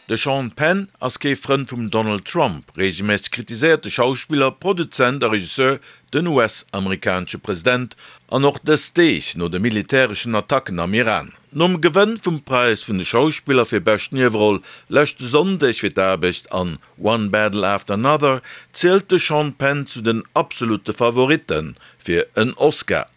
De Sean Penn ass kee Frënd vum Donald Trump. Reegelméisseg kritiséiert de Schauspiller, Produzent a Regisseur den US-amerikanesche President, an och dës Deeg no de militäreschen Attacken am Iran. Nom Gewënn vum Präis vun de Schauspiller fir bescht Nieweroll leschte Sonndeg fir d'Aarbecht an One Battle After Another zielt de Sean Penn zu den absolutte Favoritte fir en Oscar.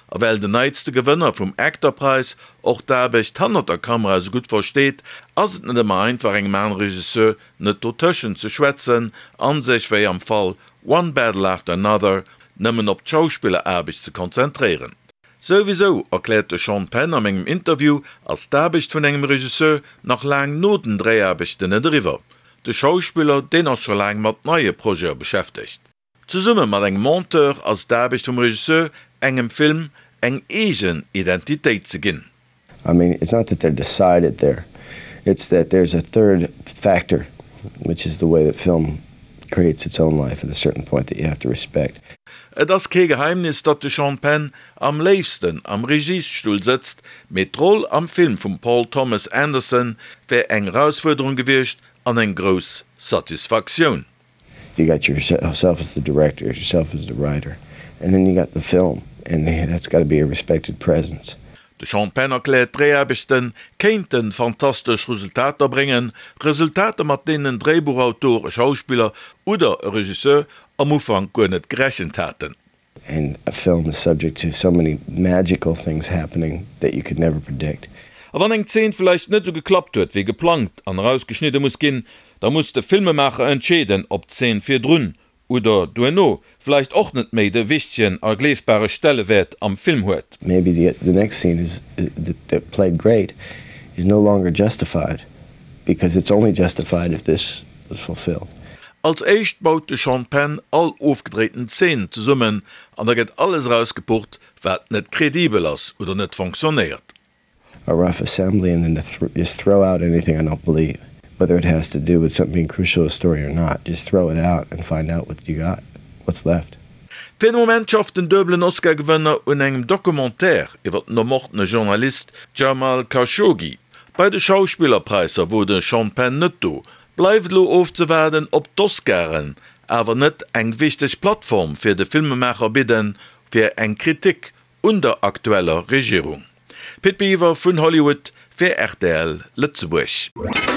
A well den neitste Gewënner vum Actor-Präis och d'Aarbecht hannert der Kamera esou gutt versteet, ass et net ëmmer einfach engem anere Regisseur net dotëschent ze schwätzen an sech, wéi am Fall One Battle After Another, nëmmen op d'Schauspilleraarbecht ze konzentréieren. Souwisou, erkläert de Sean Penn am engem Interview, ass d'Aarbecht vun engem Regisseur nach laang no den Dréiaarbechten net eriwwer. De Schauspiller, deen ass scho laang mat neie Projete beschäftegt. Zesumme mat engem Monteur ass d'Aarbecht vum Regisseur, engem Film eng eegen Identitéit ze ginn. I mean, it's not that they're decided there, it's that there's a third factor, which is the way that film creates its own life at a certain point that you have to respect. Et ass kee Geheimnis, datt de Sean Penn am léifsten am Regiesstull sëtzt, mee d'Roll am Film vum Paul Thomas Anderson wär eng Erausfuerderung gewiescht an eng grouss Satisfaktioun. You got yourself as the director, yourself as the writer, and then you got the film, and that's got to be a respected presence. De Sean Penn erkläert, d'Dréiaarbechte kéinte fantastesch Resultater bréngen, Resultater mat deenen en Dréibuchautor, e Schauspiller oder e Regisseur am Ufank guer net gerechent haten. And a film is subject to so many magical things happening that you could never predict. A wann eng Zeen vläicht net esou geklappt huet wéi geplangt an erausgeschnidde muss ginn, da muss de Filmemaacher entscheeden, ob d'Zeen virdrun oder duerno vläicht och net méi de wichtegen a gleefbare Stellewäert am Film huet. Maybe the the next scene is that played great is no longer justified because it's only justified if this was fulfilled. Als éischt baut de Sean Penn all ofgedréiten Zeen zesummen an da gëtt alles erausgepucht, wat net kredibel ass oder net fonctionnéiert. A rough assembly and then to just throw out anything I don't believe, whether it has to do with something being crucial to a story or not, just throw it out and find out what you got, what's left. Fir de Moment schafft den duebelen Oscar-Gewënner un engem Documentaire iwwer den ermordene Journalist Jamal Khashoggi. Bei de Schauspillerpräisser wor de Sean Penn net do. Bleift elo ofzewaarden, ob d'Oscaren awer net eng wichteg Plattform fir de Filmemaacher bidden, fir eng Kritik un der aktueller Regierung. Pit Biwer vun Hollywood fir rtl Lëtzebuerg.